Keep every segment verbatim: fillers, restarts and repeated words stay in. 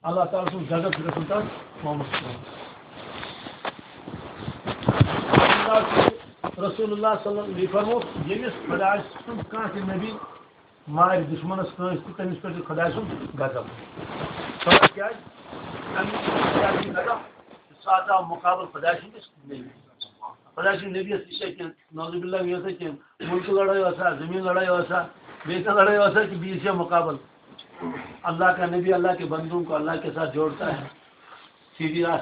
اللہ تعالیٰ سُنٛد غضب چھُ گژھان تَتھ قومَس پٮ۪ٹھ۔ رسول اللہ صلی اللہ علیہ وسلم فرموو، ییٚمِس خۄداے سُنٛد کانٛہہ تہِ نبی مارِ دُشمنَس کٲنٛسہِ تہِ، تٔمِس پٮ۪ٹھ چھُ خۄداے سُنٛد غضب۔ خبر کیٛازِ؟ اَمہِ ساتہٕ آو مُقابل خۄداے سٕنٛدِس نبی۔ خۄداے سٕنٛدِ نبیَس تہِ چھےٚ کینٛہہ، نعوذ باللہ، یہِ ٲسا کینٛہہ مُلکہٕ لڑٲے ٲسا، زٔمیٖن لڑٲے ٲسا، بیٚیہِ کانٛہہ لڑٲے ٲسا، کہِ بیٚیِس چھےٚ مُقابل۔ اللہ کا نبی اللہ کے بندوں کو اللہ کے ساتھ جوڑتا ہے، سیدھی راہ،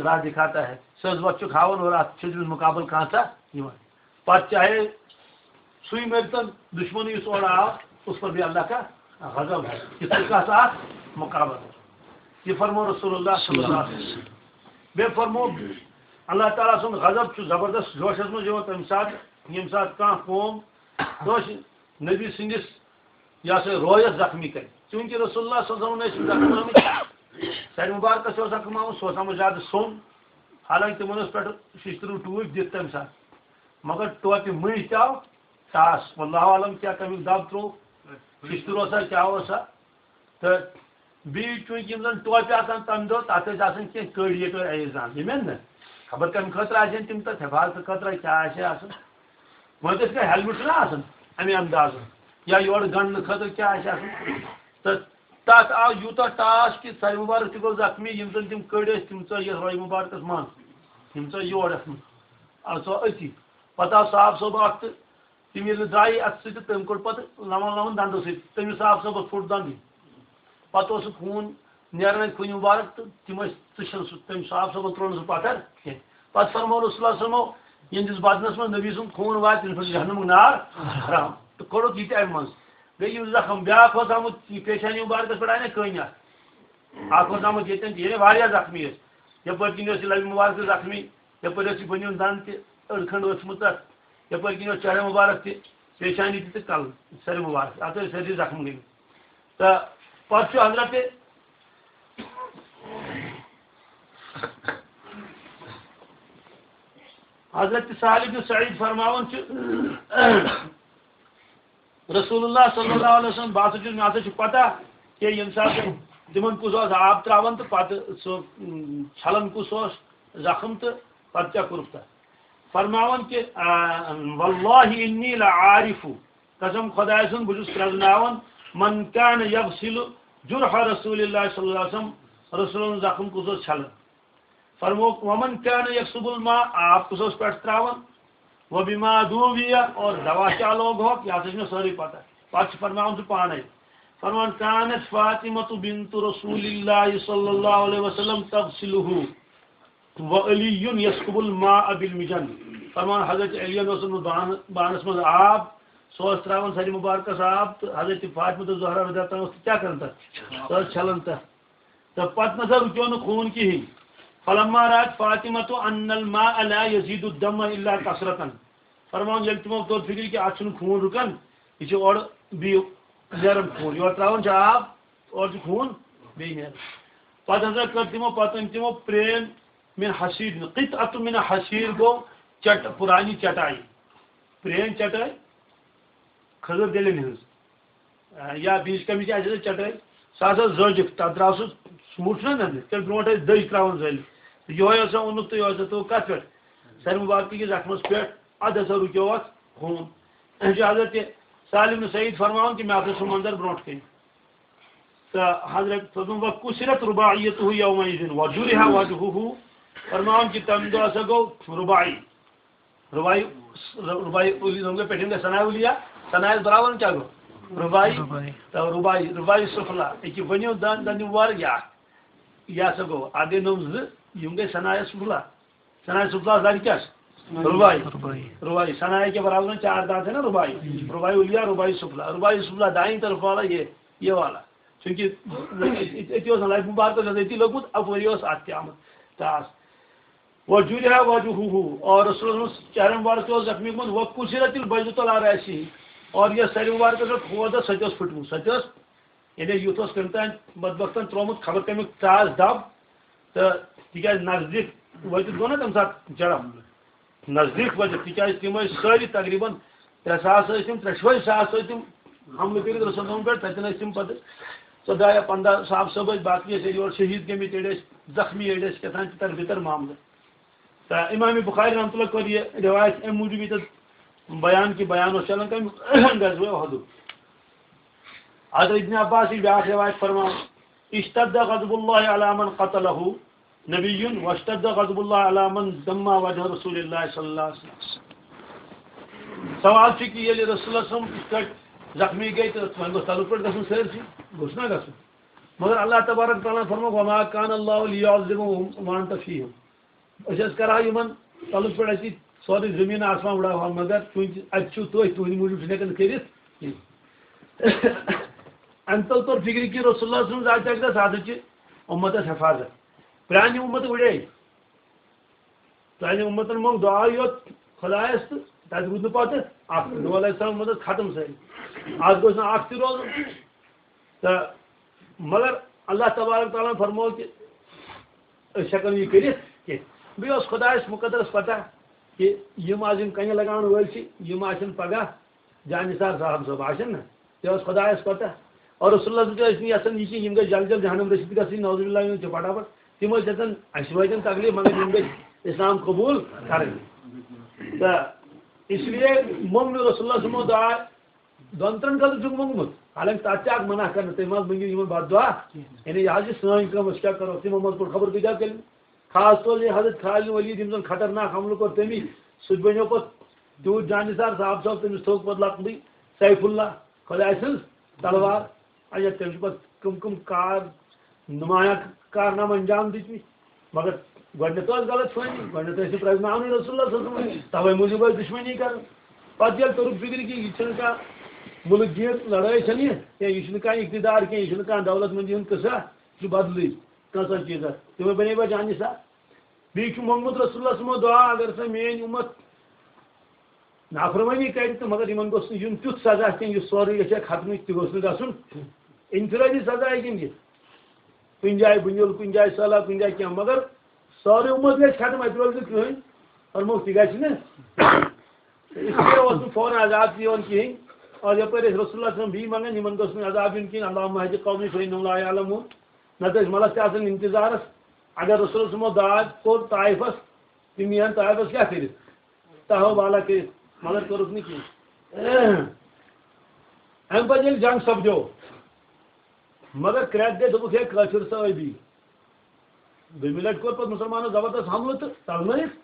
راہ دکھاتا ہے۔ سٕہہ وَتھ چھُکھ ہاوان اور اَتھ چھُ تٔمِس مُقابل کانٛہہ تہِ یِوان۔ پَتہٕ چاہے سُے مٔرۍتَن، دُشمَن یُس اورٕ آو، اس پر بھی اللہ کا غضب ہے۔ یہِ چھُ کَتھ اَکھ مُقابل۔ یہِ فرموو رسول اللہ صلی اللہ علیہ وسلم۔ بیٚیہِ فرموو، اللہ تعالیٰ سُنٛد غضب چھُ زبردست جوشَس منٛز یِوان تَمہِ ساتہٕ، ییٚمہِ ساتہٕ کانٛہہ قوم کٲنٛسہِ نبی سٕنٛدِس، یہِ ہسا، رویَس زخمی کرِ۔ چوٗنٛکہِ رسول اللہ صلی اللہ علیہ وسلم ٲسۍ زخم آمٕتۍ، سرِ مُبارکَس اوس زخم آمُت، سُہ اوس آمُت زیادٕ سوٚن، حالانکہِ تِمَن اوس پٮ۪ٹھٕ شِشتٕروٗ ٹوٗپۍ دِتھ تَمہِ ساتہٕ، مگر ٹوپہِ مٔنٛزۍ تہِ آو ٹاس۔ واللہ عالم کیٛاہ تَمیُک دَب ترٛوو، شِشتٕر اوسا کیٛاہ اوسا۔ تہٕ بیٚیہِ چوٗنٛکہِ یِم زَن ٹوپہِ آسان تَمہِ دۄہ، تَتھ ٲسۍ آسان کینٛہہ کٔڑۍ یٔڑۍ کٔڑۍ اَیہِ زان، یِم یِن نہٕ، خبر کَمہِ خٲطرٕ آسن تِم تَتھ، حفاظتہٕ خٲطرٕ کیٛاہ آسہِ آسان۔ وۄنۍ گژھِ کانٛہہ ہیلمٹ چھُنہ آسان اَمہِ اندازٕ، یا یورٕ گنٛڈنہٕ خٲطرٕ کیٛاہ آسہِ آسان۔ تہٕ تَتھ آو یوٗتاہ ٹاس کہِ سرِ مُبارک تہِ گوٚو زخمی، یِم زَن تِم کٔڑۍ ٲسۍ، تِم ژٲے یَتھ روے مُبارکَس منٛز، یِم ژٲے یور یَتھ منٛز۔ آ، سُہ أتی۔ پَتہٕ آو صاف صٲب اَکھ تہٕ تِم ییٚلہِ درٛایہِ اَتھٕ سۭتۍ، تہٕ تٔمۍ کوٚڑ پَتہٕ لَمَن لَمَن دَنٛدَو سۭتۍ، تٔمِس صاف صٲبَس پھُٹ دَنٛدٕے۔ پَتہٕ اوس سُہ خوٗن نیران اَتہِ کُنہِ مُبارک، تہٕ تِم ٲسۍ، ژٕ چھَنہٕ سُہ، تٔمۍ صاف صٲبَن ترٛوو نہٕ سُہ پَتھر کینٛہہ۔ پَتہٕ فرموو رسول اللہ صلی اللہ علیہ وسلمو، یِہنٛدِس بدنَس منٛز نبی سُنٛد خوٗن واتہِ، تٔمِس پٮ۪ٹھ جہنمُک نار حرام۔ تہٕ کوٚڑُکھ یہِ تہِ اَمہِ منٛز۔ گٔے یِم زخم۔ بیٛاکھ اوس آمُت یہِ پیشانی مُبارکَس پٮ۪ٹھ، آیہِ نہ کٔنۍ اَتھ۔ اَکھ اوس آمُت ییٚتٮ۪ن تہِ، یعنی واریاہ زخمی ٲسۍ۔ یَپٲرۍ کِنۍ اوس یہِ لَبہِ مُبارکَس زخمی، یَپٲرۍ ٲس یہِ بٔنیُن دَنٛد تہِ، أڑ کھٔنٛڈ ؤژھمٕژ تَتھ، یَپٲرۍ کِنۍ اوس چہرے مُبارک تہِ، پیشانی تہِ تہٕ کَلہٕ، سَرِ مُبارک، اَتھ ٲسۍ سٲرسٕے زخم گٔمٕتۍ۔ تہٕ پتہٕ چھُ حضرت، حضرت سالم بن سعید فرماوان چھُ، رسول اللہ صلی اللہ علیہ وسلم، بہٕ ہسا چھُس، مےٚ ہسا چھُ پتہ کہِ ییٚمہِ ساتہٕ تِمن کُس اوس آب تراوان تہٕ پتہٕ سُہ، اۭں، چھلان کُس اوس زخم تہٕ پتہٕ کیٛاہ کوٚرُکھ تتھ۔ فرماوان کہِ، آ، واللہ انی لعارف، قسم خۄدایہِ سُنٛد، بہٕ چھُس پرٛزناوان، من کان یغسل جرح رسول اللہ صلی اللہ علیہ وسلم، رسول اللہ زخم کُس اوس چھلان۔ فرمووُکھ، ومن کان یکسب الماء، آب کُس اوس پٮ۪ٹھ تراوان، وبما دوی، اور دوا کیا لوگ ہو، یہِ ہسا چھِ مےٚ سٲرٕے پتہ۔ پتہٕ چھُ فرماوان سُہ پانے، فرمان، کانت فاطمہ بنت رسول اللہ صلی اللہ علیہ وسلم تغسلہ۔ وعلی یسکب الماء بالمجن۔ فرمان حضرت علی اوس اوٚنمُت بان-، بانس منٛز آب، سُہ اوس تراوان سرِ مُبارکس آب، تہٕ حضرت فاطمہ تہٕ زہرا رضی اللہ عنہا اوس کیٛاہ کران تتھ؟ سۄ ٲس چھلان تتھ۔ تہٕ پتہٕ نسا رُکیو نہٕ خوٗن کِہینۍ۔ فلما رات فاطمہ تو ان الماء لا یزید الدم الا کثرتن۔ فرمان ییٚلہِ تِمو توٚر فِکرِ کہِ اتھ چھُنہٕ خوٗن رُکان، یہِ چھُ اورٕ بیٚیہِ نیران خوٗن، یورٕ تراوان چھِ آب، اورٕ چھُ خوٗن بیٚیہِ نیران۔ پتہٕ ہسا کٔر تِمو، پتہٕ أنۍ تِمو پرٛین من حصیر، قطعۃ من حصیر گوٚو چٹ-، پرانی چٹاے، پرٛین چٹاے، کھٔزٕر دِلٮ۪ن ہٕنٛز، آ، یا بیٚیِس کَمہِ تہِ آسہِ ہا چٹاے، سُہ ہسا زٲجِکھ، تَتھ درٛاو سُہ، سُہ موٚٹ چھُنہ نَنٛدٕ، تیٚلہِ برونٛٹھ ٲسۍ دٔج ترٛاوان زٲلِتھ۔ تہٕ یِہوٚے ہسا اوٚنُکھ تہٕ یِہوٚے ہسا تھوٚو کَتھ پٮ۪ٹھ؟ سَرِ مُبارکہٕ کِس زخمَس پٮ۪ٹھ، اَدٕ ہسا رُکیو اَتھ خوٗن۔ أمۍ چھُ حضرت سالم بن سعید فرماوان کہِ مےٚ ہسا چھُ منظر برونٛٹھ کَنہِ۔ تہٕ حضرت فرموو، وکسرت رباعیتہ یومئذ وجرح وجہہ، فرماوان کہِ تَمہِ دۄہ ہسا گوٚو رُباعی، رُباعی، رُباعی اولی، یِم گٔے پٮ۪ٹھِم گٔے ثنایا اولیہ، ثنایَس برابر کیٛاہ گوٚو؟ رُباعی۔ رُباعی۔ تہٕ رُباعی، رُباعی سفلا، أکہِ ؤنِو دَن، دَن یِم وَر یا، یہِ ہسا گوٚو، اَکھ گٔے نۄم زٕ، یِم گٔے ثنایَس سفلا۔ ثنایَس سفلا دَرِ کیٛاہ چھِ؟ رُباعی۔ رُباعی۔ رُباعی، ثنایا کے برابر چھِ چار دانت ہے نا رُباعی۔ رُباعی اولیہ، رُباعی سفلا۔ رُباعی سفلا دائیں طرف والا یہ، یہ والا۔ چونکہ أتی اوس نہ لفظ مبارکس اوس أتی لوٚگمُت، اَپٲری اوس اَتھ تہِ آمُت ٹاس۔ وجرح وجہہ، اور رسول اللہ صلی اللہ علیہ وسلم چہرہ مبارک تہِ اوس زخمی گوٚمُت، وکسرت البیضۃ علی رأسہ، اور یۄس سرِ مبارکس پٮ۪ٹھ کھوٗر ٲس، سۄ تہِ ٲس پھٕٹمٕژ، سۄ تہِ ٲس، یعنی یُتھ اوس کٔمۍ تام بدبختن ترٛوومُت خبر کَمیُک ٹاس دَب، تہٕ تِکیٛازِ نزدیٖک وٲتِتھ گوٚو نہ تَمہِ ساتہٕ جرم، نزدیٖک وٲتِتھ، تِکیٛازِ تِم ٲسۍ سٲری تقریٖباً ترٛےٚ ساس ٲسۍ تِم، ترٛٮ۪شوَے ساس ٲسۍ تِم حملہٕ کٔرِتھ رسول اللہ پٮ۪ٹھ، تَتٮ۪ن ٲسۍ تِم پَتہٕ ژۄداہ یا پنٛداہ صاحب صٲب ٲسۍ، باقٕے ٲسۍ یورٕ شہیٖد گٔمٕتۍ، أڑۍ ٲسۍ زخمی، أڑۍ ٲسۍ کیٛاہ تام تِتر بِتر معاملہٕ۔ تہٕ امام بخاری رحمتہ اللہ کوٚر یہِ روایت امہِ موٗجوٗب ییٚتٮ۪تھ بیان کہِ بیان اوس چلان کَمہِ غزوہ احدُک۔ حضرت ابن عباس یہِ بیٛاکھ روایت فرماوان، اشتد غضب اللہ علی من قتلہ نبی واشتد غضب اللہ علی من دما وجہ رسول اللہ صلی اللہ علیہ وسلم۔ سوال چھُ کہِ ییٚلہِ رسول اللہ صلی اللہ علیہ وسلم یِتھ کٲٹھۍ زخمی گٔے تہٕ وۄنۍ گوٚژھ تَلہٕ پٮ۪ٹھ گژھُن سٲرسٕے، گوٚژھ نا گژھُن؟ مگر اللہ تبارک تعالیٰ فرموو، وما کان اللہ لیعذبہم وانت فیہم۔ أسۍ ٲسۍ کران یِمن تَلہٕ پٮ۪ٹھ اَتہِ سورُے زٔمیٖن آسمان وٕڑاوہَن، مگر چوٗنٛکہِ اَتہِ چھِو تُہۍ، تُہٕنٛدِ موٗجوٗب چھِنہٕ ہٮ۪کان کٔرِتھ کینٛہہ۔ اَمہِ تَل توٚر فِکرِ کہِ رسول اللہ صلی اللہ علیہ وسلم زاتہِ اَکہِ دۄہ سُہ ہسا چھِ اُمتس حفاظت۔ پرٛانہِ اُمت وٕڑے، پرٛانہِ اُمتن منٛگ دُعا یوت خۄدایس تہٕ تَتہِ روٗد نہٕ پتہٕ اکھ۔ نوح علیہ السلام اُمت ٲس ختم سٲری، اَتھ گوٚژھ نہٕ اکھ تہِ روزُن۔ تہٕ مگر اللہ تبارک تعالیٰ ہن فرموو کہِ أسۍ ہٮ۪کو نہٕ یہِ کٔرِتھ کینٛہہ۔ بیٚیہِ اوس خۄدایس مُقدرس پتہ کہِ یِم آز یِم کنہِ لگاون وٲلۍ چھِ، یِم آسن پگاہ جان نثار صاحب صٲب آسن نہ، یہِ اوس خۄدایس پتہ۔ اور رسول اللہ صلی اللہ علیہ وسلم ٲسۍ نہٕ یژھان یہِ کہِ یِم گژھِ جل جل جہنم رٔسِتھ گژھٕنۍ، نعوذ باللہ، یِم چھِ پھٹافٹ۔ تِم ٲسۍ یژھان اَسہِ وٲتۍ یِم تکلیف، مگر یِم گٔژھۍ اسلام قبول کرٕنۍ۔ تہٕ اس لیے موٚنگ نہٕ رسول اللہ صلی اللہ علیہ وسلمو دعا دۄن ترٛٮ۪ن خٲطرٕ چھُکھ موٚنگمُت، حالانکہِ تَتھ چھِ اکھ منع کرنہٕ، تُہۍ مہ حظ مٔنگِو یِمن بد دعا۔ یعنی یہِ حظ چھِ سٲنۍ کٲم، أسۍ کیٛاہ کرو؟ تِمو منٛز کوٚر خبر کۭتیٛاہ کٔلۍ۔ خاص طور یہِ حضرت خالد ولید، یِم زن خطرناک حملہٕ کوٚر تٔمی، سُہ تہِ بنیو پتہٕ تیوٗت جان نثار صاحب صٲب، تٔمِس تھوٚو پتہٕ لقبٕے سیف اللہ، خۄداے سٕنٛز تلوار۔ اچھا، تٔمۍ چھِ پتہٕ کٕم کٕم کار، نمایاں کارنامہٕ انجام دِتمٕتۍ۔ مگر گۄڈٕنٮ۪تھ ٲس غلط فہمی، گۄڈٕنٮ۪تھ ٲسۍ نہٕ پرٛزناونٕے رسول اللہ صلی اللہ علیہ وسلم، توے موٗجوٗب ٲسۍ دُشمنی کران۔ پتہٕ ییٚلہِ توٚرُکھ فِکرِ کہِ یہِ چھُنہٕ کانٛہہ مُلک گیٖر لڑٲے چھَنہٕ یہِ، یا یہِ چھُنہٕ کانٛہہ اقتدار کینٛہہ، یہِ چھُنہٕ کانٛہہ دولت مندی ہُنٛد قصہ، یہِ چھُ بدلٕے کانٛہہ سا چیٖزا۔ تِمے بنے پتہٕ جان نثار۔ بیٚیہِ چھُ موٚنگمُت رسول اللہ صلی اللہ علیہ وسلمو دعا، اگر سا میٲنۍ اُمت نافرمٲنی کرِ تہٕ مگر یِمن گوٚژھ نہٕ یُن تیُتھ سزا کینٛہہ، یُس سورُے گژھِ ختمٕے، تہِ گوٚژھ نہٕ گژھُن۔ انفرٲدی سزا ہیٚکہِ یِم دِتھ۔ کُنہِ جایہِ بُنیُل، کُنہِ جایہِ سہلاب، کُنہِ جایہِ کینٛہہ، مگر سورُے اُمت گژھِ ختم، اَتہِ روزِ نہٕ کٕہٕنۍ۔ فرمووُکھ، تہِ گژھِ نہٕ۔ اس لیے اوس نہٕ فوراً عذاب تہِ یِوان کِہیٖنۍ۔ اور یپٲرۍ ٲسۍ رسول اللہ صلی اللہ علیہ وسلم بیٚیہِ منٛگان، یِمن گوٚژھ نہٕ عذاب یُن کِہیٖنۍ، اللہم اہد قومی فإنہم لا یعلمون۔ نتہٕ ٲسۍ ملس تہِ آسان انتظارس۔ اگر رسول صلی اللہ علیہ وسلمو دعا کوٚر طائفس، تِم یِہن طائفس کیٛاہ کٔرِتھ؟ تہو بالا کٔرِتھ، مگر کوٚرُکھ نہٕ کِہیٖنۍ۔ اَمہِ پتہٕ ییٚلہِ جنگ سپدیو، مگر کرٛٮ۪کھ گٔے، دوٚپُکھ، ہے، کٲفِر صحٲبی۔ دوٚیمہِ لٹہِ کوٚر پتہٕ مُسلمانو زبردست حملہٕ تہٕ ژلنٲیِکھ۔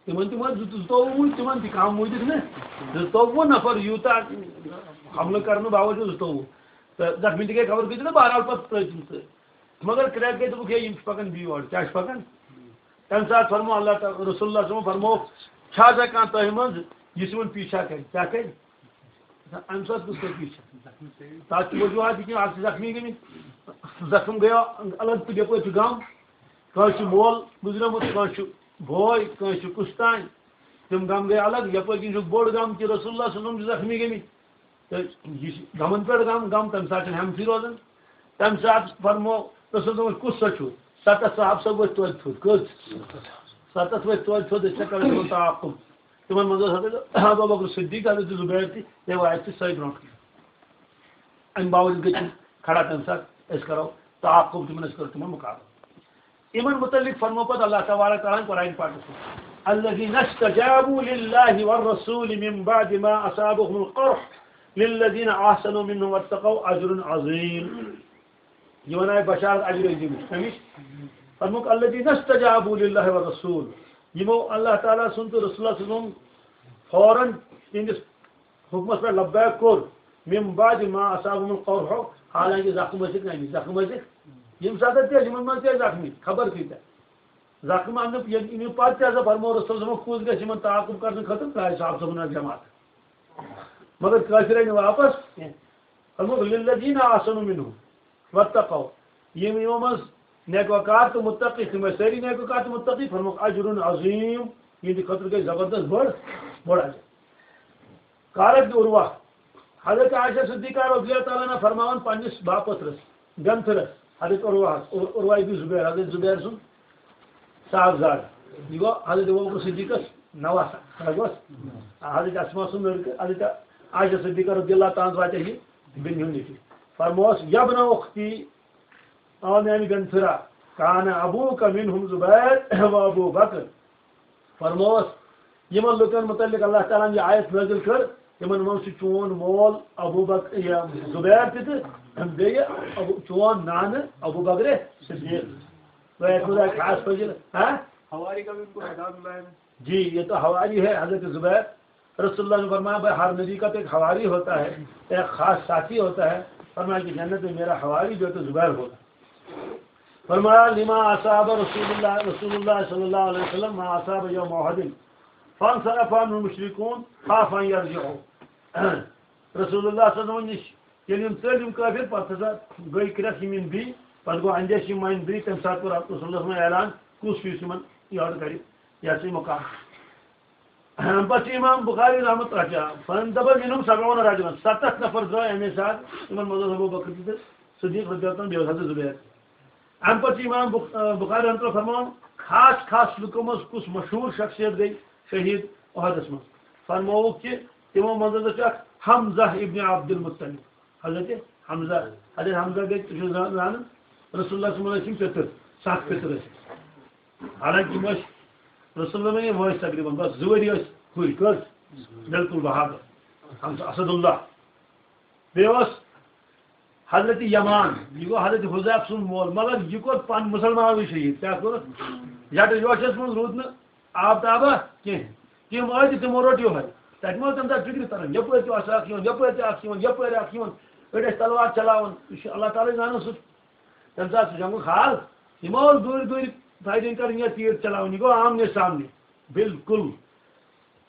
تِمن تہِ وۄنۍ زٕ-، زٕتووُہ موٗدۍ، تِمن تہِ کم موٗدِکھ نہٕ۔ زٕتووُہ نفر یوٗتاہ حملہٕ کرنہٕ باوجوٗد زٕتووُہ۔ تہٕ زخمی تہِ گٔے خبر کۭتیاہ، تہٕ بہرحال پتہٕ ترٛٲے تِم تہٕ۔ مگر کرٛٮ۪کھ گٔے، دوٚپُکھ، ہے، یِم چھِ پکان بیٚیہِ اورٕ، کیٛاہ چھِ پکان؟ تَمہِ ساتہٕ فرموو اللہ تعالیٰ، رسول اللہ صلی اللہ علیہ وسلم فرمووُکھ، چھا ژےٚ کانٛہہ تۄہہِ منٛز یُس یِمن پیچھا کرِ؟ کیٛاہ کرِ؟ اَمہِ ساتہٕ کُس کرِ پیچھا؟ تَتھ چھِ وجوہات یہِ کہِ اَکھ چھِ زخمی گٔمٕتۍ، زخم گٔیو الگ تہٕ یَپٲرۍ چھُ غم، کٲنٛسہِ چھُ مول گُزریومُت، کٲنٛسہِ چھُ بوے، کٲنٛسہِ چھُ کُس تام، تِم غم گٔے الگ۔ یَپٲرۍ کِنۍ چھُ بوٚڑ غم کہِ رسول اللہ صلی اللہ علیہ وسلم چھِ زخمی گٔمٕتۍ۔ تہٕ یہِ چھِ غمن پٮ۪ٹھ غم، غم تَمہِ ساتہٕ چھِنہٕ ہٮ۪متھٕے روزان۔ تَمہِ ساتہٕ فرموو رسول دوٚپُن، کُس سا چھُ؟ ستتھ صحابہٕ سا ؤتھۍ توتہِ تھوٚد۔ کٔژ؟ ستتھ ؤتھۍ توتہِ تھوٚد، أسۍ چھِ کران تِمن تعاقب۔ تِمن منٛز اوس حضرت ابو بکر صدیق، حضرت زبیر تہِ، روایت چھِ سۄے برونٛٹھ کُن۔ اَمہِ باوجوٗد گٔے تِم کھڑا تَمہِ ساتہٕ، أسۍ کرو تعاقب تِمن، أسۍ کرو تِمن مقابلہٕ۔ یِمن متعلق فرموو پتہٕ اللہ تبارک تعالیٰ ہن قرآن پاکس منٛز، الذين استجابوا لله والرسول من بعد ما أصابهم القرح للذين أحسنوا منهم واتقوا أجر عظيم۔ یِمن آیہِ بشارت اجر عظیمٕچ۔ کمِچ؟ فرمووُکھ، الذين استجابوا لله والرسول، یِمو اللہ تعالیٰ سُنٛد تہٕ رسول اللہ سُنٛد فوراً تِہنٛدِس حُکمس پٮ۪ٹھ لبیک کوٚر، من بعد ما أصابهم القرح، حالانکہِ زخم ٲسِکھ نہ أمِس، زخم ٲسِکھ ییٚمہِ ساتہٕ تہِ ٲسۍ، یِمن منٛز تہِ ٲسۍ زخمی، خبر کۭتیاہ۔ زخم اننہٕ ییٚمہِ پتہٕ تہِ ہسا فرموو رسول صٲبن، کُس گژھِ یِمن تعاقب کرنہٕ خٲطرٕ، ترٛایہِ صاحب صٲبن حظ جماعت۔ مگر کٲفر آیہِ نہٕ واپس کینٛہہ۔ فرمووُکھ، للذين أحسنوا منهم واتقوا، یِم یِمو منٛز نیکوکار تہٕ متقی، تِم ٲسۍ سٲری نیکوکار تہٕ متقی، فرمووُکھ، اجر عظیم، یِہنٛدِ خٲطرٕ گٔے زبردست بٔڑ، بٔڑ اجر۔ قالت عروہ، حضرت عائشہ صدیقہ رضی اللہ تعالیٰ عنہ فرماوان پننِس باپترس، گنتھرس، حضرت عروہ، عروہ ابن زبیر، حضرت زبیر سُنٛد صاحب زاد، یہِ گوٚو حضرت ابوبکر صدیقس نواسہ، کیٛاہ گوٚس؟ حضرت اسماء سُنٛد لڑکہٕ، حضرت عائشہ صدیقہ رضی اللہ تعالیٰ عنہ واتہِ یہِ بیٚنہِ ہُنٛد نیٚچوٗ۔ فرمووس، یبن اختی، آ میانہِ گنفرا، کان ابوک منہم زبیر و ابو بکر۔ فرموس، یِمن لُکن مُتعلِق اللہ تعالیٰ ہن یہِ آیت نٲزِل کٔر، تِمن منٛز چھُ چون مول ابو بکر، یہِ زبیر تہِ تہٕ بیٚیہِ ابو، چون نانہٕ ابو بکر صدیق۔ تۄہہِ آسہِ خۄداے خاص فضیلت، ہاں؟ ہواری کا بھی ان کو اعزاز ملا ہے۔ جی، یہ تو ہواری ہے حضرت زبیر۔ رسول اللہ نے فرمایا، بھائی، ہر نبی کا تو ایک ہواری ہوتا ہے، ایک خاص ساتھی ہوتا ہے۔ فرمایا کہ جنت میں میرا ہواری جو ہے تو زبیر ہوگا۔ فرمایا، لما اصاب رسول اللہ، رسول اللہ صلی اللہ علیہ وسلم ما اصاب یوم احد، فانصرف عنہ المشرکون خاف ان یرجعوا۔ رسول اللہ صلی اللہ علیہ وسلم نِش ییٚلہِ یِم ژٔلۍ یِم کٲفِر، پتہٕ ہسا گٔے کرٛٮ۪کھ یِم یِن بیٚیہِ، پتہٕ گوٚو اندیشہِ یِم وۄنۍ بیٚیہِ، تمہِ ساتہٕ کوٚر رسول اللہ صلی اللہ علیہ وسلم اعلان، کُس ہیوٗ یُس یِمن یورٕ کرِ، یہِ ہسا یہِ مُقابلہٕ۔ اَمہِ پتہٕ چھُ امام بخاری رحمت اللہ علیہ، فرماوان، دپان، منہم سبعون رجلا، ستتھ نفر درٛاے امے ساتہٕ، یِمن منٛز اوس ابو بکر تہِ تہٕ صدیق رضی اللہ عنہ، بیٚیہِ اوس حضرت زبیر۔ اَمہِ پتہٕ چھُ امام بخ-، آ، بخاری رحمۃ اللہ فرماوان، خاص خاص لُکو منٛز کُس مشہوٗر شخصیت گٔے شہیٖد احدس منٛز؟ فرمووُکھ کہِ تِمو منٛز ہسا چھُ اکھ حمزہ ابن عبد المطلب۔ حضرت حمزہ، حضرت حمزہ گٔے، تُہۍ چھِو زان-، زانان، رسول اللہ صلی اللہ علیہ وسلم ٲسۍ یِم پِتٕر، سَتھ پِتٕر ٲسۍ۔ حالانکہ یِم ٲسۍ رسول اللہ یِم ٲسۍ تقریباً بس زٕ ؤری ٲسۍ ہُرۍ، کٔژ؟ بالکل بہادر، حمزہ اسد اللہ۔ بیٚیہِ اوس حضرت یمان، یہِ گوٚو حضرت حذیفہ سُنٛد مول، مگر یہِ کوٚر پن-، مُسلمانٕے شہیٖد۔ کیٛاہ کوٚرُکھ؟ یَٹہٕ یوشس منٛز روٗد نہٕ آب تابا کینٛہہ۔ تِم ٲسۍ تہِ تِمو روٚٹ یِہوٚے۔ تَتہِ ما ٲس تَمہِ ساتہٕ فِکرِ تَران، یَپٲرۍ تہِ اوس اَکھ یِوان، یَپٲرۍ تہِ اَکھ یِوان، یَپٲرۍ اَکھ یِوان۔ أڑۍ ٲسۍ تَلوار چلاوان۔ یہِ چھُ اللہ تعالیٰ ہٕے زانان سُہ۔ تَمہِ ساتہٕ سُہ جنگُک حال۔ یِم ٲسۍ دوٗرِ دوٗرِ فایرِنٛگ کَرٕنۍ یا تیٖر چلاوٕنۍ۔ یہِ گوٚو آمنے سامنے۔ بالکل۔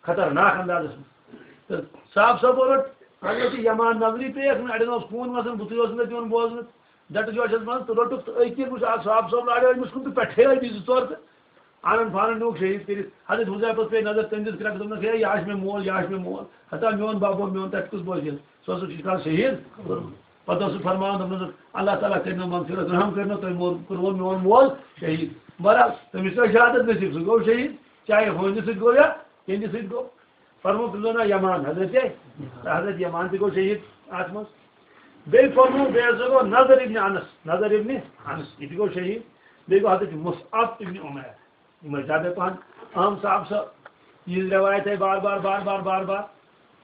خطرناک اندازس منٛز۔ تہٕ صاحب صٲبو رٔٹ حضرت یمان نظری پیٚیَکھ نہٕ، اَڑٮ۪ن اوس خوٗن وَسان، بُتھٕے اوس نہٕ تِمن بوزمُت۔ ڈَٹہٕ جوشَس منٛز تہٕ روٚٹُکھ تہٕ أکۍ وٕچھ اَکھ صاحب صٲب لاریو أمِس کُن تہٕ پٮ۪ٹھے آیہِ بیٚیہِ زٕ ژور تہٕ اَنان پھانان نیوٗکھ شہیٖد کٔرِتھ۔ حضرت حُذیفَس پیٚیہِ نظر، تٔمۍ دِژ کرٛٮ۪کھ، دوٚپنَس، ہے، یہِ ہا چھُ مےٚ مول، یہِ ہا چھُ مےٚ مول۔ ہتا میون بَب، میون تَتہِ کُس بوزِ؟ سُہ اوسُکھ یہِ کَران شہیٖد کوٚرمُت۔ پَتہٕ اوس سُہ فرماوان، دوٚپنَس، اللہ تعالیٰ کٔرِنو مغفرت، رحم کٔرنو تۄہہِ مول، کوٚروٕ میون مول شہیٖد۔ بہرحال، تٔمِس ٲس شہادت نصیٖب، سُہ گوٚو شہیٖد، چاہے ہُہٕنٛدِ سۭتۍ گوٚو یا یِہِنٛدِ سۭتۍ گوٚو۔ فرموو تٔمۍ سُنٛد ناو یمان، حضرت، حضرت یمان تہِ گوٚو شہیٖد اَتھ منٛز۔ بیٚیہِ فرموو، بیٚیہِ ہسا گوٚو نضر ابن انس، نضر ابن انس، یہِ تہِ گوٚو شہیٖد۔ بیٚیہِ گوٚو حضرت مصعب ابن عمیر۔ یِم ٲسۍ زیادَے پَہَن اہم صاحب سۄ، یِہٕنٛز رٮ۪وایت آیہِ بار بار، بار بار، بار بار۔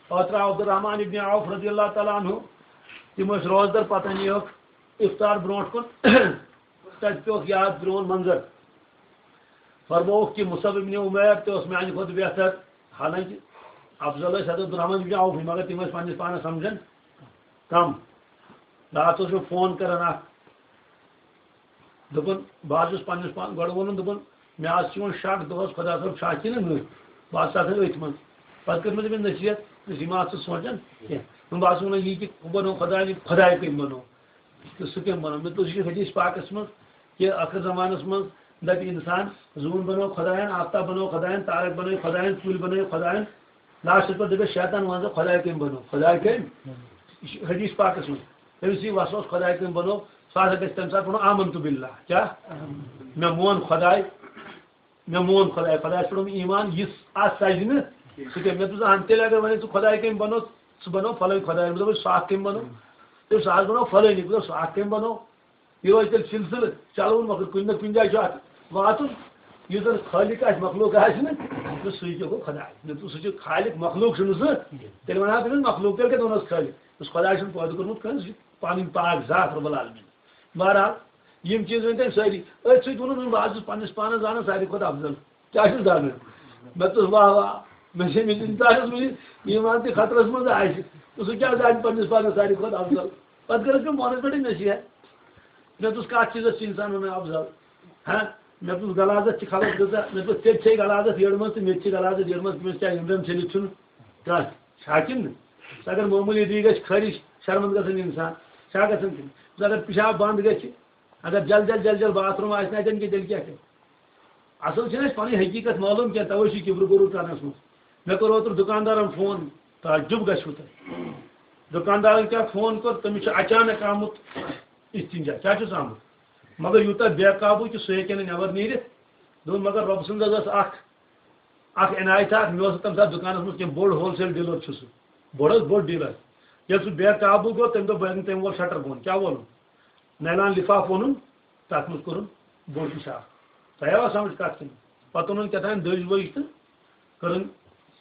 اوترٕ آو عبدالرحمان ابن عوف رضی اللہ تعالیٰ عنہ، تِم ٲسۍ روزدر، پَتہٕ نیوکھ افطار برونٛٹھ کُن، تَتہِ پیوٚکھ یاد پرٛون منظر۔ فرمووُکھ کہِ مصعب ابن عمیر تہِ اوس میٛانہِ کھۄتہٕ بہتر، حالانکہ افضل ٲسۍ حضرت عبدالرحمان ابن عوف، مگر تِم ٲسۍ پنٛنِس پانَس سَمجھان کَم۔ راتھ اوس مےٚ فون کران اکھ، دوٚپُن، بہٕ حظ چھُس پننِس پان-، گۄڈٕ ووٚنُن، دوٚپُن، مےٚ حظ چھُ یِوان شک دۄہس خۄدا صٲب چھا کِنہٕ نٔٹۍ، بہٕ حظ چھُس آسان أتھۍ منٛز۔ پتہٕ کٔر مےٚ تٔمِس نصیحت، دوٚپمَس، یہِ مہ ژٕ سونٛچان کینٛہہ۔ دوٚپُن، بہٕ حظ چھُس وَنان یی کہِ ہُہ بنوو خۄداے، یہِ خۄداے کٔمۍ بنوو؟ تہٕ سُہ کٔمۍ بنوو؟ مےٚ دوٚپُس، یہِ چھُ حدیث پاکس منٛز کہِ ٲخر زمانس منٛز دپہِ انسان، زوٗن بنوو خۄداین، آفتاب بنوو خۄداین، تارک بنٲے خۄداین، کُلۍ بنٲے خۄداین، لاسٹس پٮ۪ٹھ دَپٮ۪س شیطان، وَن سا خۄداے کٔمۍ بنوو؟ خۄداے کٔمۍ؟ یہِ چھُ حدیث پاکس منٛز۔ تٔمِس یی وسوس خۄداے کٔمۍ بنوو، سُہ ہسا گژھِ تَمہِ ساتہٕ وَنُن، آمنت باللہ۔ کیٛاہ؟ مےٚ مون خۄداے، مےٚ مون خۄداے، خۄدایَس پٮ۪ٹھ اوٚن ایمان، یُس اَتھ سَجہِ نہٕ، سُہ کیٛاہ؟ مےٚ دوٚپُس، اہن، تیٚلہِ اگر وَنے ژٕ خۄداے کٔمۍ بنوو، سُہ بنوو فلٲنۍ خۄداے۔ مےٚ دوٚپُس، سُہ اَکھ کٔمۍ بنوو؟ تٔمۍ سُہ حظ بنوو فلٲنی۔ مےٚ دوٚپ، سُہ اَکھ کٔمۍ بنوو؟ یہِ روزِ تیٚلہِ سلسلہٕ چلوُن، مگر کُنہِ نہ کُنہِ جایہِ چھُ اَتھ واتُن۔ یُس زَن خٲلِق آسہِ، مخلوق آسہِ نہٕ، تہٕ سُے کیٛاہ گوٚو خۄداے؟ نہ تہٕ سُہ چھُ خالق، مخلوق چھُنہٕ سُہ۔ تیٚلہِ وَنہٕ ہا تٔمِس مخلوق، تیٚلہِ کَتہِ وَنہوس خٲلِق؟ یُس خۄداے چھُنہٕ پٲدٕ کوٚرمُت کٲنٛسہِ، سُہ چھُ پَنٕنۍ پاک ذات رب العالمین۔ بہرحال، یِم چیٖز ؤنۍ تٔمۍ سٲری۔ أتھۍ سۭتۍ ووٚنُن، بہٕ حظ چھُس پنٛنِس پانَس زانان ساروی کھۄتہٕ افضل۔ کیٛاہ چھُس زانان؟ مےٚ دوٚپُس، واہ، واہ، مےٚ چھِ أمِس اِنسانَس منٛز یہِ ایٖمان تہِ خطرَس منٛز آسہِ، تہٕ سُہ کیٛاہ زانہِ پنٛنِس پانَس ساروی کھۄتہٕ افضل؟ پَتہٕ کٔرٕس مےٚ مونَس پٮ۪ٹھٕے نصیحت۔ مےٚ دوٚپُس، کَتھ چیٖزَس چھِ اِنسان وَنان افضل؟ ہا؟ مےٚ دوٚپُس، غلاظت چھِ خلق کۭژاہ؟ مےٚ دوٚپُس، ژےٚ تہِ چھے غلاظت یٔڑ منٛز تہٕ مےٚ تہِ چھِ غلاظت یٔڑ منٛز، تٔمِس کیٛاہ أنٛدرَم ژھیٚنِتھ چھُنہٕ کانٛہہ؟ چھا کِنہٕ نہٕ؟ اگر معموٗلی دی گژھِ خٲرِش، شرمنٛد گژھن اِنسان، چھا گژھان کِنہٕ؟ اگر پِشاب بنٛد گژھِ، اگر جل جل جل جل باتھ روٗم آسہِ نہٕ اَتٮ۪ن کینٛہہ، تیٚلہِ کیٛاہ کَرِ؟ اَصٕل چھِنہٕ اَسہِ پَنٕنۍ حقیٖقت معلوٗم کینٛہہ، تَوَے چھِ کِبرٕ غروٗر کَرنَس منٛز۔ مےٚ کوٚر اوترٕ دُکاندارَن فون، تعجب گژھِوٕ تۄہہِ۔ دُکاندارَن کیٛاہ فون کوٚر، تٔمِس چھُ اچانک آمُت استنجا، کیٛاہ چھُس آمُت؟ مگر یوٗتاہ بے قابوٗ کہِ سُہ ہیٚکہِ نہٕ نٮ۪بر نیٖرِتھ۔ دوٚپُن، مگر رۄبہٕ سٕنٛز حظ ٲس اَکھ، اَکھ عنایت اَکھ، مےٚ اوس نہٕ تَمہِ ساتہٕ دُکانَس منٛز کینٛہہ، بوٚڑ ہول سیل ڈیٖلَر چھُ سُہ، بوٚڑ حظ بوٚڑ ڈیٖلَر۔ ییٚلہِ سُہ بے قابوٗ گوٚو، تٔمۍ دوٚپ، بہٕ ہٮ۪کہٕ نہٕ تٔمۍ وول شٹر بۄن، کیٛاہ وولُن؟ نایلان لِفاف اوٚنُن، تَتھ منٛز کوٚرُن بوٚڑ پِشاب۔ تۄہہِ آوا سَمٕجھ کَتھ کِنہٕ؟ پَتہٕ اوٚنُن کیٛاہ تام دٔج ؤج تہٕ کٔرٕن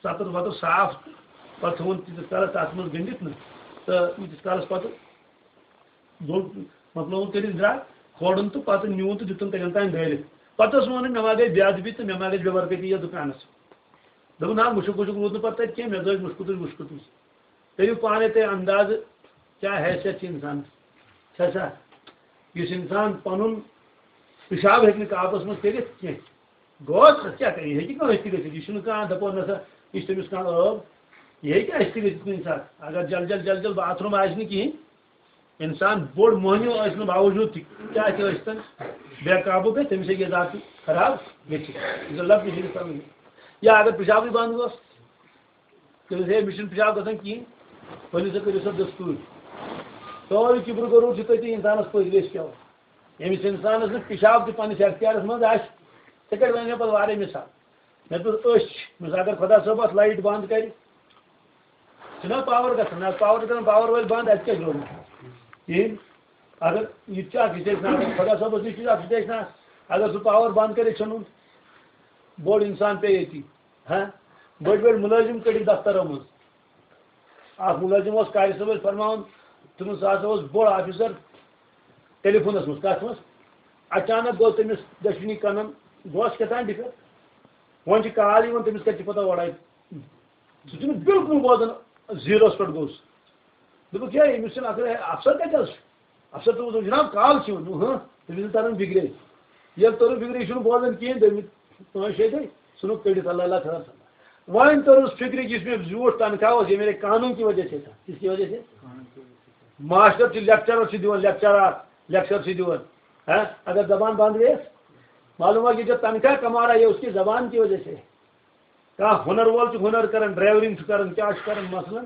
سَتُر وَتُر صاف تہٕ پَتہٕ تھوٚوُن تیٖتِس کالَس تَتھ منٛز گٔنٛڈِتھ نہٕ تہٕ ییٖتِس کالَس پَتہٕ دوٚن مۄکلووُن کٔرِتھ درٛاو، کھولُن تہٕ پَتہٕ نیوٗن تہٕ دیُتُن تَتٮ۪ن تام ڈٲلِتھ۔ پَتہٕ اوس وَنان، "مےٚ ما گٔے بے ادبی تہٕ مےٚ ما گٔے بے برکتی یَتھ دُکانَس؟" دوٚپُن، "نہ، مُشُک وُشُک روٗد نہٕ پَتہٕ تَتہِ کینٛہہ، مےٚ زٲج مُشکُتٕے وُشکُتٕے۔" کٔرِو پانَے تُہۍ اندازٕ، کیٛاہ حیثیت چھِ اِنسانَس۔ چھا سا؟ یُس اِنسان پَنُن پِشاب ہیٚکہِ نہٕ کاپَس منٛز کٔرِتھ کینٛہہ، گوٚو سا کیٛاہ کَرِ؟ یہِ ہیٚکہِ کانٛہہ أسۍ تہِ گٔژھِتھ۔ یہِ چھُنہٕ کانٛہہ دَپو نہ سا، یہِ چھُ تٔمِس کانٛہہ ٲب۔ یہِ ہیٚکہِ اَسہِ تہِ گٔژھِتھ کُنہِ ساتہٕ۔ اگر جل جل جل جل باتھ روٗم آسہِ نہٕ کِہیٖنۍ، اِنسان بوٚڑ مۄہنیو ٲسۍ نہٕ باوجوٗد تہِ کیٛاہ تہِ ٲسۍ تَن، بے قابوٗ گژھِ، تٔمِس ہیٚکہِ یہِ ذات خراب گٔژھِتھ۔ یہِ گوٚو لفظ چھِ اِنسان۔ یا اگر پِشابٕے بنٛد گوٚژھ، تٔمِس ہے، مےٚ چھُنہٕ پِشاب گژھان کِہیٖنۍ، ؤلِو سا کٔرِو سا دستوٗر۔ سورُے کِبرٕ غروٗر چھُ تٔتی اِنسانَس پٔتۍ ویس پٮ۪وان۔ ییٚمِس اِنسانَس نہٕ پِشاب تہِ پنٛنِس اختیارَس منٛز آسہِ، ژےٚ کَتہِ وَنہِ مےٚ پَتہٕ واریاہ مِثال؟ مےٚ دوٚپ أچھ، مےٚ دوٚپُس اگر خۄدا صٲب اَتھ لایِٹ بنٛد کَرِ، چھُنہ پاوَر گژھان، نہ پاوَر چھُ گژھان، پاوَر وٲلۍ بنٛد، اَتہِ کیٛاہ چھُ روزان؟ کِہیٖنۍ۔ اگر یہِ تہِ چھُ اَکھ سِٹیشن، خۄدا صٲبَس نِش تہِ چھُ اَکھ سِٹیشن، اگر سُہ پاوَر بنٛد کَرِ، ژھیوٚنُن، بوٚڑ اِنسان پیٚیہِ ییٚتی۔ ہاں، بٔڑۍ بٔڑۍ مُلٲزِم کٔڑِکھ دفترو منٛز۔ اکھ مُلٲزِم اوس قاری صٲب ٲسۍ فرماوان، تِمن سُہ ہسا اوس بوٚڑ آفیسر ٹیلی فونس منٛز۔ کتھ منٛز؟ اچانک گوٚو تٔمِس دٔچھِنی کنن، گوس کیٛاہ تام ڈِفر۔ وۄنۍ چھِ کال یِوان، تٔمِس کتہِ چھِ پتہ اورے؟ سُہ چھُنہٕ بِلکُل بوزان، زیٖروس پٮ۪ٹھ گوٚو سُہ۔ دوٚپُکھ، "ہے، أمِس چھُنہٕ اَصٕل، ہے، افسر کَتہِ حظ چھُ؟" افسر دوٚپُس، "جناب، کال چھِ یِوان۔" دوٚپُن، "ہاں۔" تٔمِس چھُنہٕ تران فِکرے۔ ییٚلہِ توٚرُن فِکرِ، یہِ چھُنہٕ بوزان کِہیٖنۍ، دوٚپمٕتۍ، پانٛژھ شےٚ دۄہہِ ژھٕنُکھ کٔڑِتھ، اللہ اللہ خبر سمجھ۔ وۄنۍ توٚرُس فِکرِ، یُس مےٚ زیوٗٹھ تنخواہ اوس، یہِ میلے قانوٗن کی وجہ سے تھا۔ کس کی وجہ سے؟ ماسٹر چھُ لیکچرر چھُ دِوان، لیکچرر، لیکچر چھُ دِوان۔ ہاں، اگر زبان بند گٔیَس، معلوم ہوا کہ جو تنخواہ کما رہا ہے، اس کی زبان کی وجہ سے۔ کانٛہہ ہُنر وول چھُ ہُنر کران، ڈرائیورنگ چھُ کران، کیٛاہ چھُ کران مثلاً؟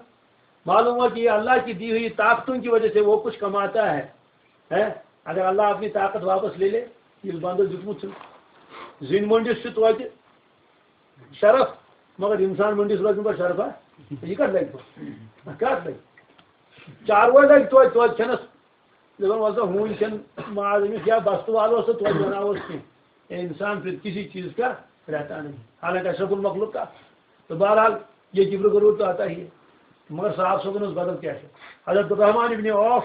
معلوم ہوا کہ یہ اللہ کی دی ہوئی طاقتوں کی وجہ سے وہ کچھ کماتا ہے۔ ہے؟ اگر اللہ اپنی طاقت واپس لے لے، ییٚلہِ بندس دیُتمُت چھُ۔ زِنۍ مٔنٛڈِس چھُ توتہِ شرف، مگر اِنسان مٔنٛڈِس روزِ نہٕ پتہٕ شرفا۔ یہِ کتھ لگہِ پتہٕ؟ کتھ لگہِ؟ چاروٲے لگہِ توتہِ، توتہِ کھٮ۪نس۔ دَپان، "وَلہٕ سا، ہوٗنۍ کھٮ۪ن ماز أمِس یا بستہٕ والہٕ اوس تہٕ توتہِ بَناووس کینٛہہ۔" اے اِنسان پھر کسی چیز کا رہتا نہیں، حالانکہ اشرف المخلوق کا۔ تو بہرحال، یہ کبر غرور تو آتا ہی ہے، مگر صاحب صٲبن اوس بدل کیفیت۔ حضرت عبدالرحمان ابن عوف،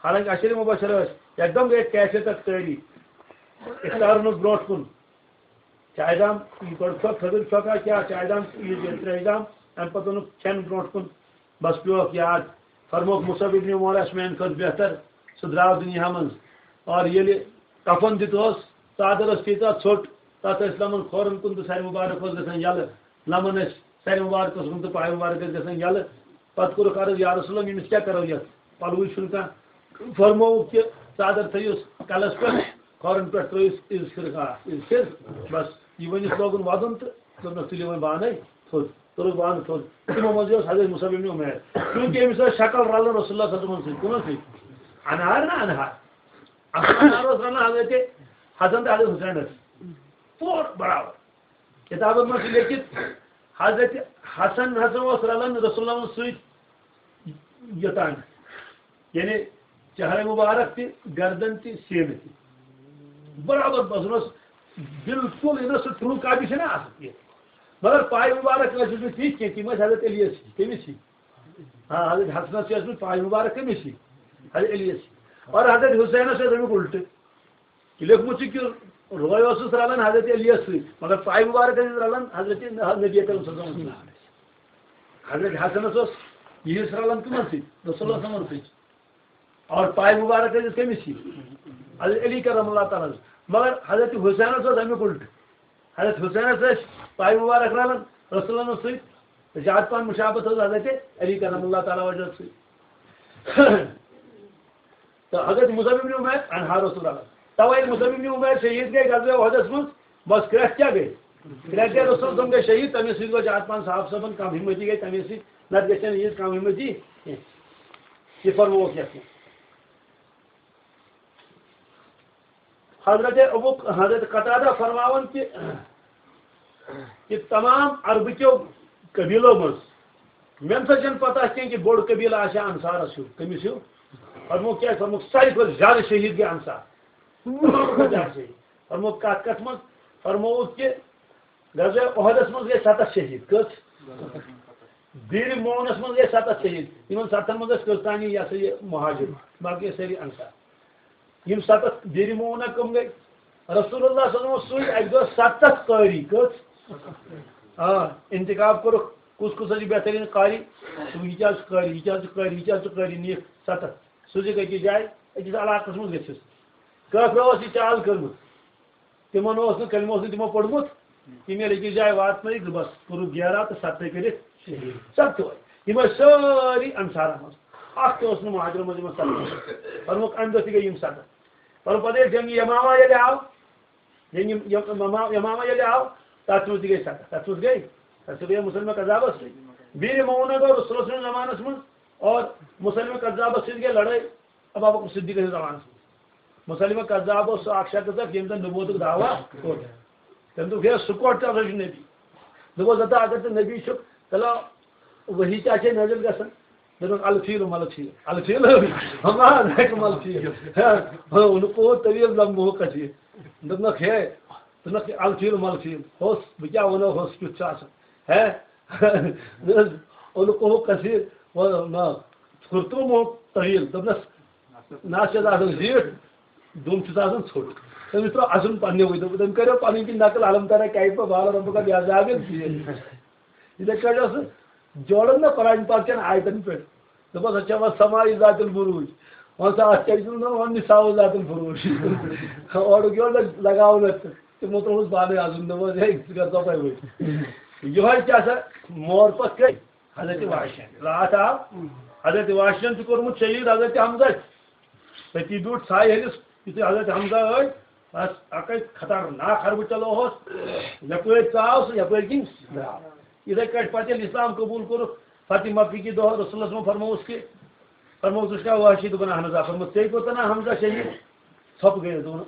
حالانکہ عشر مبشر ٲسۍ، یکدم گٔے کیفیت اکھ تٲری۔ افطارن اوس برونٛٹھ کُن۔ چایہِ دام، یہِ گۄڈٕ چھۄکھ، تھٔدٕر چھۄکھ آسہِ یا چایہِ دام، یہِ، یہِ ترٛیشہِ دام، اَمہِ پَتہٕ اوٚنُکھ کھٮ۪ن برونٛٹھ کُن، بَس پیوٚوکھ یاد۔ فرمووُکھ مُصعب ابن عمر آسہِ میٛانہِ کھۄتہٕ بہتر، سُہ درٛاو دُنیا منٛز۔ اور ییٚلہِ کفن دیُت اوس، ژادر ٲس تیٖژاہ ژھوٚٹ، تَتھ ٲسۍ لَمَن کھورَن کُن تہٕ سَرِ مُبارک اوس گژھان یَلہٕ۔ لَمَن ٲسۍ سَرِ مُبارک اوس گژھان تہٕ پایہِ مُبارک ٲسۍ گژھان یَلہٕ۔ پَتہٕ کوٚرُکھ عرض، "یا رسول اللہ، أمِس کیٛاہ کَرو یَتھ؟ پَلوٕے چھُنہٕ کانٛہہ۔" فرمووُکھ کہِ ژادر تھٲیِوس کَلَس پٮ۪ٹھ، کھۄرَن پٮ۪ٹھ ترٲیِس عِز فِرقہ، عِز فِر۔ بس، یہِ ؤنِتھ لوگُن وَدُن تہٕ دوٚپنَس، "تُلِو وۄنۍ بانَے تھوٚد۔" توٚرُکھ بانہٕ تھوٚد۔ تِمو منٛز اوس حضرت مُصعب ابن عمیر۔ چوٗنٛکہِ أمِس ٲس شکل رَلان رسول اللہ صلی اللہ علیہ وسلم سۭتۍ۔ کٕم ٲسۍ؟ انہار نا انہار۔ اصل انہار اوس رَلان حضرت حسن تہٕ حضرت حسینَس۔ پوٗرٕ برابر۔ کِتابَن منٛز چھُ لیکھِتھ، حضرت حسن ہسا اوس رَلان رسول اللہ سۭتۍ یوٚتام۔ یعنی چہرے مبارک تہِ، گردن تہِ، سینہٕ تہِ۔ برابر باسان اوس، بالکل یہِ نہ سُہ ٹرٛوٗ کاپی چھےٚ نہ آسان کینٛہہ۔ مگر پایہِ مبارک ٲسۍ نہٕ تِتھۍ کینٛہہ، تِم ٲسۍ حضرت علیَس ہِوۍ، کٔمِس ہِوۍ؟ آ، حضرت حسنَس چھِ ٲسمٕژ پایہِ مبارک کٔمِس ہِوۍ؟ حضرت علیَس ہِوۍ۔ اور حضرت حسینَس ٲس اَمیُک اُلٹہٕ۔ لیوٚکھمُت چھُ کہِ روے اوسُس رَلان حضرت علیَس سۭتۍ، مگر پایہِ مبارک ٲسِس رَلان حضرت نبی اکرم صلی اللہ علیہ وسلم سۭتۍ۔ حضرت حسنَس اوس یہِ حصہٕ رَلان کٕمَن سۭتۍ؟ رسول اللہ صلی اللہ علیہ وسلم سۭتۍ۔ اور پایہِ مبارک ٲسِس کٔمِس سۭتۍ؟ حضرت علی کرم اللہ تعالیٰ ہَس۔ مگر حضرت حسینَس اوس اَمیُک اُلٹہٕ۔ حضرت حسینَس ٲسۍ پایہِ مبارک رَلان رسول اللہ سۭتۍ۔ زیادٕ پَہَن مُشابہت ٲس حضرت علی کرم اللہ تعالیٰ وجہ سۭتۍ۔ تہٕ حضرت مُصعب ابن عمیر انہار اوس رَلان۔ تَوَے ییٚلہِ مُصعب ابن عمیر شہیٖد گٔے غزوہ احدس منٛز، بس کرٛٮ۪کھ کیٛاہ گٔے؟ کرٛٮ۪کھ گٔے، رسول صٲب گٔے شہیٖد، تَمے سۭتۍ گوٚو زیادٕ پَہَن صحابہٕ صٲبَن کم ہمتی گٔے، تَمے سۭتۍ، نَتہٕ گژھِ ہا نہٕ ییٖژ کم ہمتی کینٛہہ۔ یہِ فرمووُکھ یَتھ منٛز۔ حضرت ابو، حضرت قتادہ فرماوان کہ، کہ تمام عربہٕ کیو قبیلو منٛز مےٚ نسا چھَنہٕ پتہ کینٛہہ کہ بوٚڑ قبیلہٕ آسہِ ہا انصارس ہیوٗ۔ کٔمِس ہیوٗ؟ فرمووُکھ کیٛاہ؟ فرمووُکھ ساروی کھۄتہٕ زیادٕ شہیٖد گٔے انصار۔ پنٛژاہ شہیٖد۔ فرموو کَتھ کَتھ منٛز؟ فرمووُکھ کہِ غزوہ احدس منٛز گٔے ستتھ شہیٖد۔ کٔژ؟ بیٖرِ معونس منٛز گٔے ستتھ شہیٖد۔ یِمن ستتھن منٛز ٲسۍ کٔژ تانی، یہِ ہسا یہِ، مہاجر، باقٕے ٲسۍ سٲری انصار۔ یِم ستتھ بیٖرِ معونہ کٕم گٔے؟ رسول اللہ صلی اللہ علیہ وسلم سۭتۍ اَکہِ دۄہ ستتھ قٲری۔ کٔژ؟ آ، انتخاب کوٚرُکھ، کُس کُس حظ چھُ بہتریٖن قاری؟ یہِ کیٛاہ چھُ قٲری، یہِ کیٛاہ چھُ قٲری، یہِ کیٛاہ چھُ قٲری، نِکھ ستتھ۔ سوٗزِکھ أکِس جایہِ، أکِس علاقس منٛز گٔژھِتھ۔ کٲفرو ٲس یہِ چال کٔرمٕژ۔ تِمن اوس نہٕ، کلمہٕ اوس نہٕ تِمو پوٚرمُت، تِم ییٚلہِ أکِس جایہِ واتنٲیِکھ، بس کوٚرُکھ گیرا تہٕ ستتھے کٔرِکھ شہیٖد۔ ستتھے۔ یِم ٲسۍ سٲری انصارن منٛز، اکھ تہِ اوس نہٕ مہاجرن منٛز یِمن ستتھ۔ فرمووُکھ، امہِ دۄہ تہِ گٔے یِم ستتھ۔ فرمووُکھ، پتہٕ ییٚلہِ جنگِ یمامہ ییٚلہِ آو، جنگِ یم-، یمامہ، یمامہ ییٚلہِ آو، تتھ منٛز تہِ گٔے ستتھ، تتھ منٛز گٔے، تتھ منٛز گٔے مسلمہ کذابس سۭتۍ۔ بیٖرِ معونہ گوٚو رسول اللہ صلی اللہ علیہ وسلمس منٛز، اور مسلمہ کذابس سۭتۍ گٔے لڑٲے ابو بکر صدیق سٕنٛدِس زمانس منٛز۔ مسلمہ کذاب اوس سُہ اکھ شخص اکھ، ییٚمۍ زن نبوتُک دعویٰ کوٚر۔ تٔمۍ دوٚپ، ہے، سُہ کوٚر تہِ ہسا چھُ نبی۔ دوٚپُس، ہتا اگر ژٕ نبی چھُکھ، تیٚلہِ وحی تہِ آسہِ ہے نٲزِل گژھان۔ دوٚپُن، الفیل ملفیل۔ الفیل؟ ہما ذاک ملفیل۔ ہاں، ہاں، ان کو طویل لمبو کثیر۔ دوٚپنکھ، ہے، دوٚپنکھ، الفیل ملفیل۔ ہوس، بہٕ کیٛاہ وَنو، ہوس کیُتھ چھُ آسان۔ ہے، ان کو کثیر، و-، نہ، کرتوم ہو طویل۔ دوٚپنس، نہ چھِ آسان زیٖٹھ، دُم چھُس آسان ژھوٚٹ۔ تٔمِس ترٛوو اَسُن پنٛنیوٕے، دوٚپ، تٔمۍ کَریو پَنٕنۍ کِنۍ نقل، الم ترا کیف فعل ربک بعذاب الفیل۔ یِتھَے کٲٹھۍ اوس سُہ جوڑان نہ قرآن پاک چٮ۪ن آیتَن پٮ۪ٹھ۔ دوٚپُس، اَتھ چھےٚ وَن سماء ذات البروج۔ وَن سا اَتھ کیٛاہ چھُ وَنان، وَن نساء ذات الفروج۔ اورُک یورٕ لگ-، لگاوُن اَتھ تہٕ تِمو ترٛووُس پانَے اَسُن، دوٚپُس، ہے، ژٕ کَر ژۄپَے ؤتھۍ۔ یِہوٚے کیٛاہ سا مور پَتھ کٔرۍ؟ حضرت وحشین۔ راتھ آو، حضرت وحشین چھُ کوٚرمُت شہیٖد حضرت حمزہ۔ تٔتی بیوٗٹھ ژھایہِ ہٕنٛدِس، یُتھُے حضرت حمزہ ٲسۍ، بس اَکٕے خطرناک حربہٕ چلو اوس۔ یَپٲرۍ ژاو سُہ، یَپٲرۍ کِنۍ درٛاو۔ یِتھَے کٲٹھۍ پَتہٕ ییٚلہِ اِسلام قبوٗل کوٚرُکھ، فتح مکہ کہِ دۄہ رسول اللہ صلی اللہ علیہ وسلم فرمووُس کہِ، فرمووُس، ژٕ چھُکھا وحشی؟ دوٚپُن، اَہَن حظ آ۔ فرمووُس، ژےٚ کوٚت تام حمزہ شہیٖد؟ ژھۄپہٕ گٔیَس، دوٚپُن،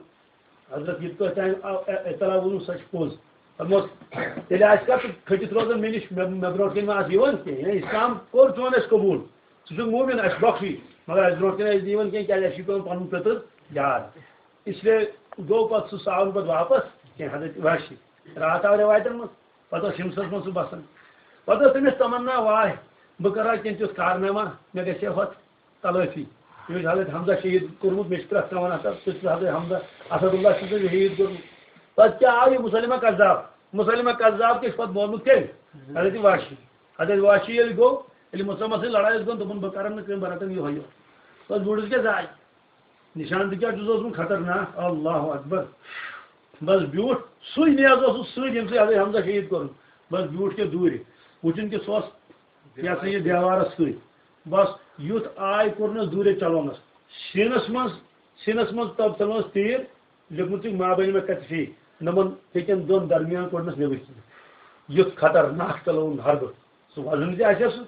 حضرت، یہِ تۄہہِ تام آو اے-، اطلاع ووٚنوٕ، سۄ چھِ پوٚز۔ فرموس، تیٚلہِ آسہِ کَتھ کھٔٹِتھ روزان مےٚ نِش، مےٚ، مےٚ برونٛٹھ کَنہِ ما آسہِ یِوان کینٛہہ؟ یعنی اِسلام کوٚر چون اَسہِ قبوٗل، ژٕ چھُکھ مومِن، اَسہِ بخشی، مگر اَسہِ برونٛٹھ کَنہِ آسہِ نہٕ یِوان کینٛہہ، کیٛازِ اَسہِ چھُ پٮ۪وان پَنُن پیٚتٕر یاد۔ اِسلیے گوٚو پَتہٕ سُہ سُہ آو نہٕ پَتہٕ واپَس کینٛہہ، حضرت وحشی۔ راتھ آو رٮ۪وایتَن منٛز، پَتہٕ اوس ہِمسَس منٛز سُہ بَسان۔ پَتہٕ ٲس تٔمِس تَمنا، واے، بہٕ کَرٕ ہا کینٛہہ تیُتھ کارنامہ، مےٚ گژھِ ہے ہۄتھ تلٲفی۔ مےٚ چھُ حضرت حمزہ شہیٖد کوٚرمُت، مےٚ چھُ پرٛٮ۪تھ کانٛہہ وَنان، ہسا، ژٕ چھُکھ حضرت حمزہ، اسد اللہ چھُ ژےٚ شہیٖد کوٚرمُت۔ پَتہٕ کیٛاہ آو یہِ مسلمہ کذاب؟ مسلمہ کذاب تہِ چھُ پَتہٕ مورمُت کٔمۍ؟ حضرت واشی۔ حضرت واشی ییٚلہِ گوٚو، ییٚلہِ مسلمہ سۭتۍ لڑٲے ٲس گٔمٕژ، دوٚپُن، بہٕ کرن نہٕ کٲم، بہٕ رٹن یِہوٚے یوت۔ بَس وُڈٕس کیٛاہ زاے؟ نِشان تہِ کیٛاہ چھُس اوسمُت خطرناک، اللہ اکبر۔ بَس بیوٗٹھ سُے نیز اوسُس سۭتۍ، ییٚمہِ سۭتۍ حضرت حمزہ شہیٖد کوٚرُن۔ بَس بیوٗٹھ کیٛاہ دوٗرِ، وٕچھُن کہِ سُہ اوس یہِ ہسا یہِ دیوارس سۭتۍ۔ بس یُتھ آے کوٚرنس دوٗرے چلونس۔ سیٖنس منٛز، سیٖنس منٛز تب چلونس تیٖر، لیوٚکھمُت چھُ ما بین کتفی، نمن ہیٚکن دۄن درمیان کوٚڑنس نیبر کِنۍ۔ یُتھ خطرناک چلوُن حربہٕ۔ سُہ وزن تہِ آسہِ ہا سُہ۔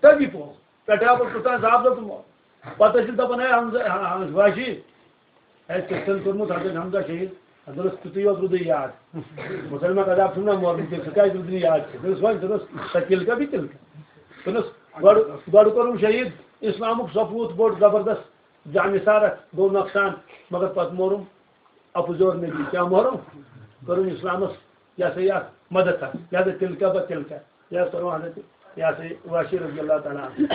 تبھی پوٚز۔ پٮ۪ٹھٕ آو پَتہٕ توٚتام زاپ زاپ تہٕ مو-، پَتہٕ ٲسِس دَپان، "ہے حمزہ، ہا-، ہا-، واشی، ہے، ژےٚ چھُنہٕ کوٚرمُت حضرت حمزہ شہیٖد؟" دوٚپنَس، "تیُتُے یوت روٗدُے یاد۔ مسلمہ کذاب چھُم نہ مورمُت، ژٕ کیٛازِ روٗدُے نہٕ یاد کینٛہہ؟" دوٚپنَس، "وۄنۍ"، دوٚپنَس، "سۄ تِلکَہ بیٚیہِ تِلکَہ۔" دوٚپنَس، "گۄڈٕ، گۄڈٕ کوٚرُم شہیٖد، اِسلامُک سپوٗت بوٚڑ زبردست جانثار اکھ گوٚو نۄقصان، مگر پَتہٕ مورُم اَپُزور نبی، کیٛاہ مورُم؟ کوٚرُم اِسلامَس، یہِ ہسا یہِ اکھ مدد اکھ، لہذا تِلکَہ بہ تِلکَہ۔" یہِ حظ فرموو حضرت، یہِ ہسا یہِ واشی رضی اللہ تعالیٰ عنہ۔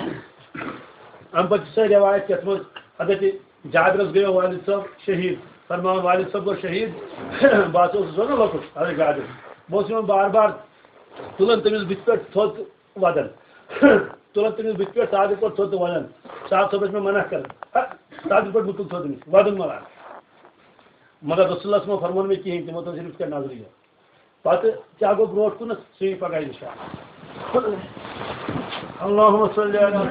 اَمہِ پتہٕ چھِ سۄ رٮ۪وایت یَتھ منٛز حضرت جابرَس گٔیو والد صٲب شہیٖد، فرماوان، والد صٲب گوٚو شہیٖد، بہٕ ہسا اوسُس وَنان لۄکُٹ، حضرت جابر، بہٕ اوسُس یِوان بار بار تُلان تٔمِس بٕتھِ پٮ۪ٹھ تھوٚد تہٕ وَدان، تُلان تٔمِس بٕتھِ پٮ۪ٹھ صادق پٲٹھۍ تھوٚد تہٕ وَدان، صاحب صٲب ٲسۍ مےٚ منع کران، ہا، صادق پٲٹھۍ مہٕ تُل تھوٚد أمِس، وَدُن مہ لاگ۔ مگر رسول اللہ صٲبَن فرموو نہٕ مےٚ کِہیٖنۍ، تِمو تھٲو صرف یِتھ کٔنۍ نظرِ یوت۔ پتہٕ کیٛاہ گوٚو برونٛٹھ کُنَتھ، سُہ یی پگاہ اِنشاءاللہ۔ اللہم صلی علی